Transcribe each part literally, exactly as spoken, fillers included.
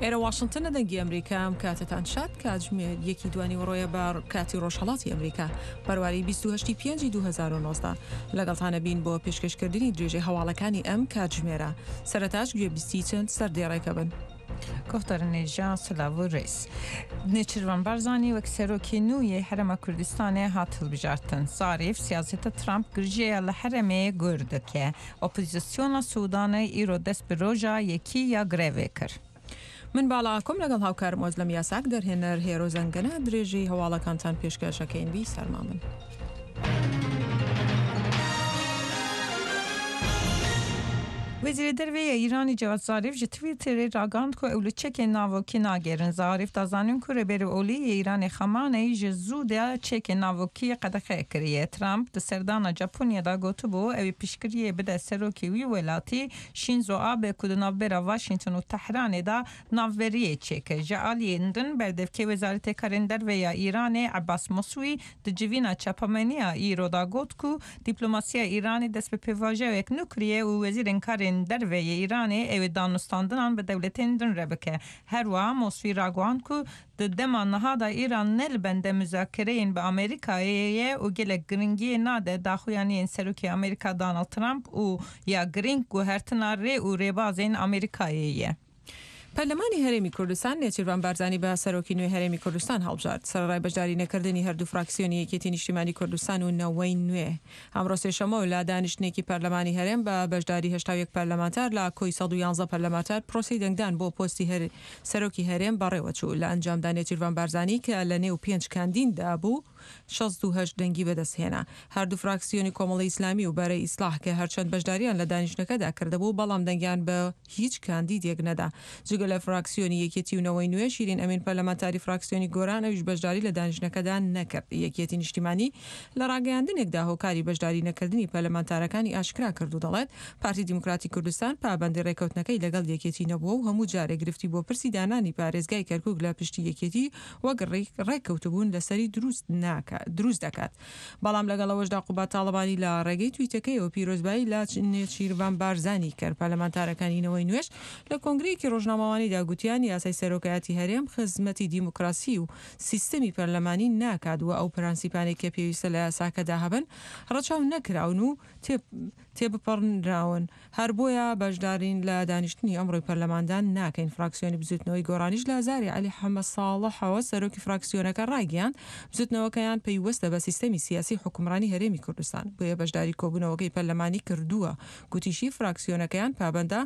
ئێرە واشنتنە دەنگی ئەمریکا ئەم کاتەتان شاد کاتژمێر یەکی دوانیوەڕۆیە بە کاتی ڕۆژهەڵاتی ئەمریکا بەرواری بیست و هەشت ی پێنج دوو هەزار و نۆزدە لەگەڵتانە بین بۆ پێشکەشکردنی درێژەی هەواڵەکانی ئەم کاتژمێرە سەرەتاش گوێبیستی چەند سەردێڕێکە بن. گوفتارنێژا سلاڤ و ڕێز. نێچیرڤان بارزانی وەک سەرۆکی نوێی هەرێما کوردستانێ هات هەڵبژارتن. زاریف سیاسەتە ترامپ گرژەیە لە هەرێمێ گور دەکێ. ئۆپۆزیسیۆنا سودانێ ئیرۆ دەست بە ڕۆژا یەکی یا گرێڤێ کرد. من باڵا ئاکۆم لەگەڵ هاوکارم ئۆزلەم یاساک دەرهێنەر هێرۆ زەنگەنە درێژەی هەواڵەکانتان پێشکەشەکەین بی سەرما من. وەزیری دەرەوەی ئێرانی جەواد زاریف ji Twitterê ragihand ku ew li çekên navokî nagerin. Zarîf da zanîn ku rêberê olî yê Îranê Xamaneyî ji zû de çekên navokî qedexe kiriye. Trump di serdana Japonya da gotibû ew ê piştgiriyê bide serokê wî welatî Shinzo Abe ku di navbera Washington û Tehranê da navberiyê çêke. Ji aliyên din berdevkê Wezaretê Karên Derve ya Îranê Abbas Moswî di civîna çapameniya îro da got ku dîplomasiya Îranê dest bi pêvajoyek nû kiriye û wezîrên karên derveyê Îranê ew ê danûstandinan bi dewletên din re bike. Her wiha Moswî ragihand ku di dema niha da Îran ne li bende müzakereyên bi Amerîkayê ye û gelek giringiyê nade daxuyaniyên Serokê Amerîka Donald Trump û ya giring guhertina rê û rêbazên Amerîkayê ye. پەرلەمانی هەرێمی کوردستان نێچیرڤان بارزانی بە سەرۆکی نوێی هەرێمی کوردستان هەڵبژارد. سەرەڕای بەشداری نەکردنی هەردوو فراکسیۆنی یەکێتی نیشتیمانی کوردستان و نەوەی نوێ ئەمڕۆ سێشەممە لە دانیشتنێکی پەرلەمانی هەرێم بە بەشداری هەشتا و یەک پەرلەمانتار لە کۆی سەد و یانزە پەرلەمانتار پرۆسەی دەنگدان بۆ پۆستی سەرۆکی هەرێم بەڕێوەچوو. لە ئەنجامدا نێچیرڤان بارزانی کە لە نێو پێنج کاندیددا بوو شەست و هەشت دەنگی بەدەستهێنا. هەردوو فراکسیۆنی کۆمەڵی ئیسلامی و بەرەی ئیسلاح کە هەرچەند بەشداریان لە دانیشتنەکەدا کردبوو بەڵام دەنگیان بە هیچ کاندیدێک نەدا. جگە لە فراکسیۆنی یەکێتی و نەوەی نوێ شیرین ئەمین پەرلەمانتاری فراکسیۆنی گۆران ئەویش بەشداری لە دانیشتنەکەدا نەکرد. یەکێتی نیشتیمانی لە ڕاگەیاندنێکدا هۆکاری بەشداری نەکردنی پەرلەمانتارەکانی ئاشکرا کرد و دەڵێت پارتی دیموکراتی کوردستان پابەندی ڕێکەوتنەکەی لەگەڵ یەکێتی نەبووە و هەموو جارێک گرفتی بۆ پرسی دانانی پارێزگای کەرکوک لە پشتی یەکێتی وەک ڕێککەوتبوون لەسەری دروست دروست دەکات. بەڵام لەگەڵ ئەوەشدا قوباد تاڵەبانی لە ڕێگەی تویتەکەیەوە پیرۆزبایی لە نێچیرڤان بارزانی کرد. پەرلەمانتارەکانی نەوەی نوێش لە کۆنگرەیەکی ڕۆژنامەوانیدا گوتیان یاسای سەرۆکایەتی هەرێم خزمەتی دیموکراسی و سیستەمی پەرلەمانی ناکات و ئەو پرەنسیپانەی کە پێویستە لە یاساکەدا هەبن ڕەچاو نەکراون و تێبپەڕنراون. هەر بۆیە بەشدارین لە دانیشتنی ئەمڕۆی پەرلەماندا ناکەین. فراکسیۆنی بزوتنەوەی گۆڕانیش لە زاری عەلی حەمە ساڵحەوە سەرۆکی فراکسیۆنەکە ڕایگەیاند بزوتنەوەکەیان پەیوەستە بە سیستەمی سیاسی حکومڕانی هەرێمی کوردستان بۆیە بەشداری کۆبوونەوەکەی پەرلەمانی کردووە. گوتیشی فراکسیۆنەکەیان پابەندە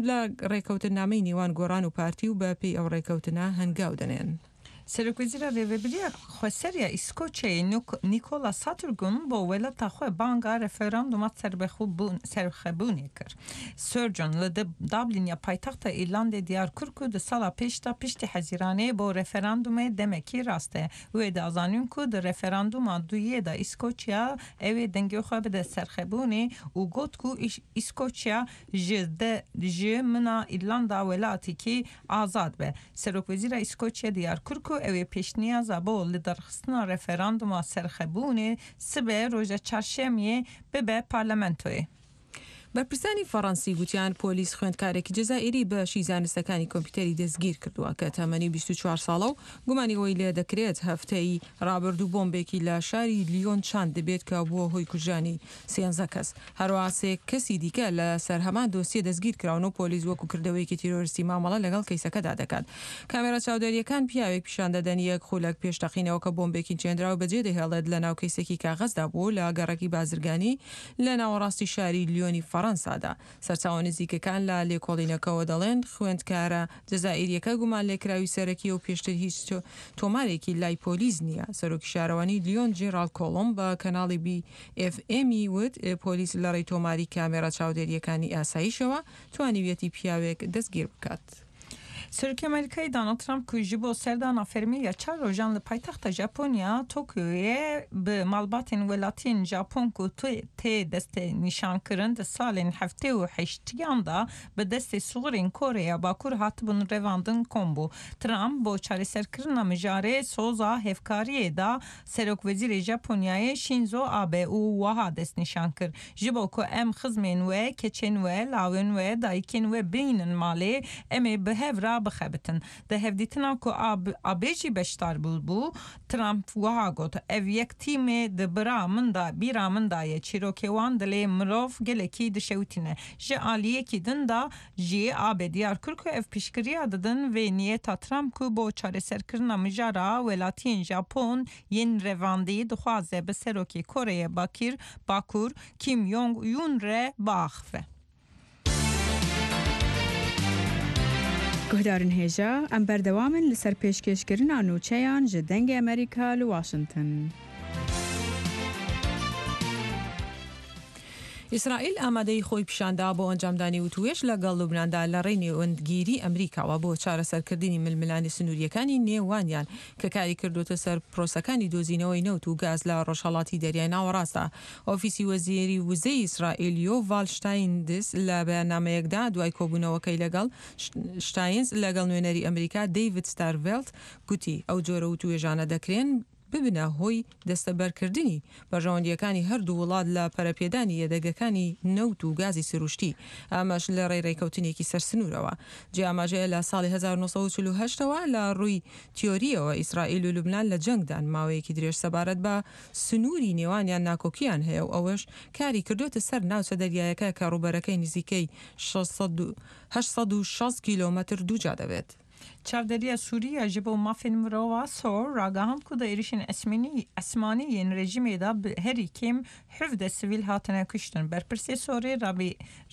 لە ڕێکەوتنامەی نێوان گۆڕان و پارتی و بە پێی ئەو ڕێکەوتنە هەنگاو دەنێن. سەرۆکوەزیرا rêveberiya Xweseriya Îskoçyayê Nicola Sturgeon bo welata xwe banga referanduma serxwebûnê kir. Sturgeon li Dublin ya paytexta Îrlandê diyar kir ku di sala pêş de piştî Hezîranê bo referandumê demekî rast e. Wê da zanîn ku di referanduma duyê de Îskoçya ew ê dengê xwe bide serxwebûnê û got ku Îskoçya ji ji mina Îrlanda welatekî azad be. Serokwezîra Îskoçya diyar kir ku ew ê pêşniyaza bo li derxistina referanduma serxwebûnê sibe roja çarşemiyê bibe parlamentoyê. بەرپرسانی فەڕەنسی گوتیان پۆلیس خوێندکارێکی جەزائیری بە شی زانستەکانی کۆمپیوتەری دەستگیر کردووە کە تەمەنی بیست و چوار ساڵە و گومانی ئەوەی لێ دەکرێت هەفتەی ڕابردوو بۆمبێکی لە شاری لیۆن چاند دەبێت کە بووە هۆی کوژرانی سێنزە کەس. هەروەها سێ کەسی دیکە لە سەر هەمان دۆسیە دەستگیر کراون و پۆلیس وەکو کردەوەیەکی تیرۆریستی مامەڵە لەگەڵ کەیسەکەدا دەکات. کامێرا چاودێریەکان پیاوێک پیشان دەدەن یەک خولەک پێش تەقینەوە کە بۆمبێکی چێندراو بەجێ دەهێڵێت لە ناو کەیسێکی کاغەزدا بوو لە گەڕەکی بازرگانی لە ناوەڕاستی شاری لیۆنی فەڕەنسادا. سەرچاوە نزیکەکان لە لێکۆڵینەکەوە دەڵێن خوێندکارە جەزائیریەکە گومان لێکراوی سەرەکی و پێشتر هیچ تۆمارێکی لای پۆلیس نییە. سەرۆکی شارەوانی لیۆن جێراڵ کۆڵۆم بە کەناڵی بی ئێف ئێمی وت پۆلیس لە ڕێی تۆماری کامێرا چاودێریەکانی ئاساییشەوە توانیویەتی پیاوێک دەستگیر بکات. Serokê Amerîkayê Donald Trump ku ji bo serdana fermî ya çar rojan li paytexta Japonya Tokyoyê bi malbatên welatiyên Japon ku tê destnîşankirin di salên heftê û heştiyan da bi destê sixurên Koreya Bakur hatibûn revandin kom bû. Trump bo çareserkirina mijarê soza hevkariyê da Serokwezîrê Japonyayê Shinzo Abe û wiha destnîşan kir. Ji bo ku em xizmên we, keçên we, lawên we, dayikên we bînin malê, em ê bi hev re بخەبتن. Di hevdîtina ku Abe jî beşdar bû, Trump wiha got: Ev yek tîmê di bira min da bîra min da ye, çîrokê wan dilê mirov gelekî dişewitîne. Ji aliyekî din da jî Abe diyar kir ku ev piştgiriya didin vê niyeta Trump ku bo çareserkirina mijara welatiyên Japon yên revandî dixwaze bi serokê Koreya Bakir Bakur Kim Jong-un re biaxive. Guhdarên hêja, em berdewam in li ser pêşkêşkirina nûçeyan ji Dengê Amerîka li Washington. ئیسرائیل ئامادەی خۆی پیشاندا بۆ ئەنجامدانی وتوێژ لەگەڵ لوبناندا لە ڕێی نێوەندگیری ئەمریکاوە بۆ چارەسەرکردنی ململانێ سنووریەکانی نێوانیان کە کاری کردوتە سەر پرۆسەکانی دۆزینەوەی نەوت و گاز لە ڕۆژهەڵاتی دەریای ناوەڕاستە. ئۆفیسی وەزیری وزەی ئیسرائیل یۆڤال شتایندز لە بەیاننامەیەکدا دوای کۆبوونەوەکەی لەگەڵ شتاینز لەگەڵ نوێنەری ئەمریکا دەیڤید ستارڤێلت گوتی ئەو جۆرە وتوێژانە دەکرێن ببنە هۆی دەستەبەرکردنی بەرژەوەندیەکانی هەردوو وڵات لە پەرەپێدانی یەدەگەکانی نەوت و گازی سروشتی، ئەمەش لە ڕێی ڕێکەوتنێکی سەرسنوورەوە. جێ ئاماژەیە لە ساڵی هەزار و نۆ سەد و چل و هەشتەوە لە ڕووی تیۆریەوە ئیسرائیل و لوبنان لە جەنگدان ماوەیەکی درێژ سەبارەت بە سنووری نێوانیان ناکۆکیان هەیە و ئەوەش کاری کردوتە سەر ناوچە دەریایەکە کە ڕووبەرەکەی نزیکەی هەشت سەد و شەست کیلۆمەتر دووجا دەبێت. Çavdêriya Sûriya ji bo mafên mirova sor ragihand ku di êrişên esmanî yên rejîmê de herî kêm hevdeh sivîl hatine kuştin. Berpirsê Sorê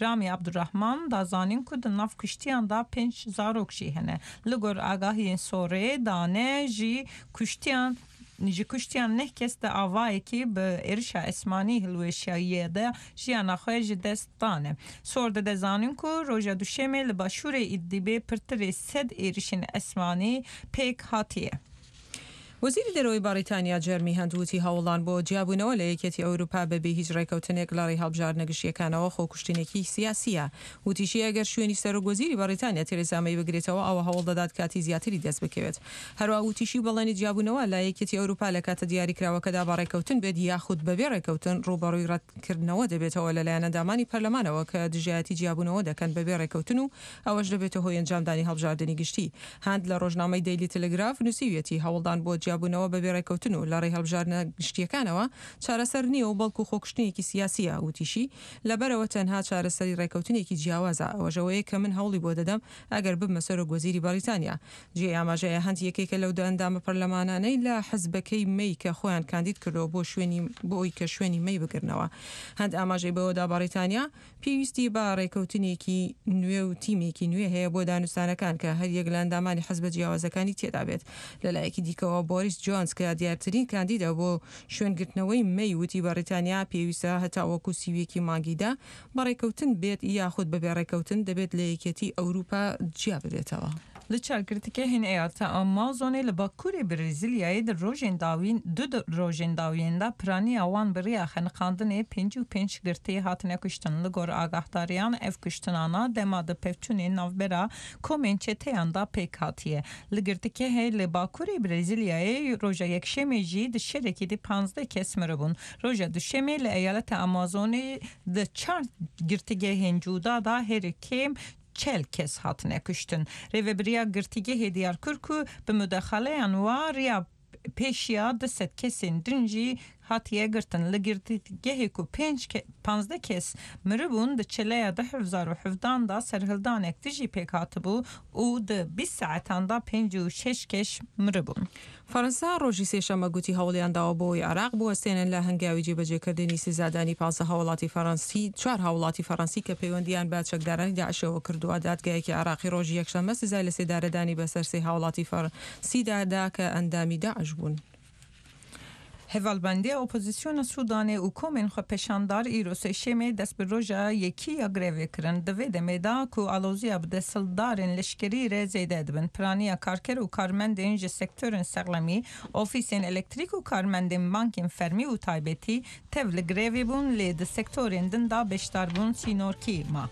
Ramî Abdurrahman da zanîn ku di nav kuştiyan de pênc zarok jî hene. Li gor agahiyên Sorê dane jî kuştiyan ji kuştiyan neh kes di avayekî bi êrişa esmanî hilweşiyayê de jiyana xwe ji dest dane. Sor dide zanîn ku roja duşemê li başûrê Idlibê pirtirê sed êrişên esmanî pêk hatiye. وەزیری دەرەوەی بەریتانیا جێرمی هەند وتی هەوڵان بۆ جیابوونەوە لە یەکێتی ئەوروپا بەبێ هیچ ڕێکەوتنێک لە ڕێی هەڵبژاردنە گشتیەکانەوە خۆکوشتنێکی سیاسیە. وتیشی ئەگەر شوێنی سەرۆک وەزیری بەریتانیا تێرێزا مەی بگرێتەوە ئەوە هەوڵ دەدات کاتی زیاتری دەست بکەوێت. هەروەها وتیشی بەڵێنی جیابوونەوە لە یەکێتی ئەوروپا لە کاتە دیاریکراوەکەدا بە ڕێکەوتن بێت یاخود بەبێ ڕێکەوتن ڕووبەڕووی ڕەتکردنەوە دەبێتەوە لەلایەن ئەندامانی پەرلەمانەوە کە دژایەتی جیابوونەوە دەکەن بەبێ ڕێکەوتن و ئەوەش دەبێتە هۆی ئەنجامدانی هەڵبژاردنی گشتی. هەند لە ڕۆژنامەی دەیلی تەلەگراف نووسیویەتی هەوڵدان بۆ جیابوونەوە بەبێ ڕێکەوتن و لە ڕێی هەڵبژاردنە گشتیەکانەوە چارەسەر نییە و بەڵکو خۆکوشتنێکی سیاسیە. وتیشی لەبەرەوە تەنها چارەسەری ڕێکەوتنێکی جیاوازە، ئەوەشەوەیە کە من هەوڵی بۆ دەدەم ئەگەر ببمە سەرۆک وەزیری بەریتانیا. جێ ئاماژەیە هەند یەکێکە لەو ئەندامە پەرلەمانانەی لە حزبەکەی مەی کە خۆیان کاندید کردەوە بۆ شوێنی بۆ ئەوی کە شوێنی مەی بگرنەوە. هەند ئاماژەی بەوەدا بەریتانیا پێویستی بە ڕێکەوتنێکی نوێ و تیمێکی نوێ هەیە بۆ دانوستانەکان کە هەر یەک لە ئەندامانی حزبە جیاوازەکانی تێدا بێت. لەلایەکی دیکەوە بۆریس جۆنس کە دیارترین کاندیدە بۆ شوێنگرتنەوەی مەی وتی بەریتانیا پێویستە هەتاوەکو سیویەکی مانگیدا بەڕێکەوتن بێت یاخود بەبێ ڕێکەوتن دەبێت لە یەکێتی ئەوروپا جیا ببێتەوە. Li çar girtîgehên eyaleta Amazonê li Bakurê Brezîlyayê di rojên dawîn du rojên dawiyên de piraniya wan bi rêya xeniqandinê pêncî û pênc girtî hatine kuştin. Li gor agahdariyan ev kuştinana dema di pevçûnên navbera komên çeteyan da pêk hatiye. Li girtîgehê li Bakurê Brezîlyayê roja yekşemê jî di şerekî de panzdeh kes miribûn. Roja duşemê li eyaleta Amazonê di çar girtîgehên cuda da herî kêm çel kes hatine kuştin. Rêveberiya girtîgehê diyar kir ku bi mudexaleyan wa pêşiya du sed kesên din jî hatiye girtin. Li girtîgehê ku pênc panzdeh kes miribûn di çeleya du hezar û hevdan da serhildanek dijî pêk hatibû û di bîst saetan da pêncî û şeş kes miribûn. فەرەنسا ڕۆژی سێشەممە گوتی هەوڵیان داوە بۆی عێراق بوەستێنن لە هەنگاوی جێبەجێکردنی سزادانی پازدە هاوڵاتی فەرەنسی چوار هاوڵاتی فەرەنسی کە پەیوەندیان بە چەکدارانی داعشەوە کردووە. دادگایەکی عێراقی ڕۆژی یەکشەممە سزای لە سێدارەدانی بەسەر سێ هاوڵاتی فەرەنسیدا دا کە ئەندامی داعش بوون. Hevalbendiya opozisyona Sudanê û komên xwepêşandar îro sêşemê dest bi roja yekî ya grevê kirin. Di vê demê de ku aloziya bi desthilatdarên leşkerî re zêde dibin. Piraniya karker û karmendên ji sektorên sexlemî, ofîsên elektrîk û karmendên bankên fermî û taybetî tev li grevê bûn lê di sektorên din de beşdar bûn sînorkî ma.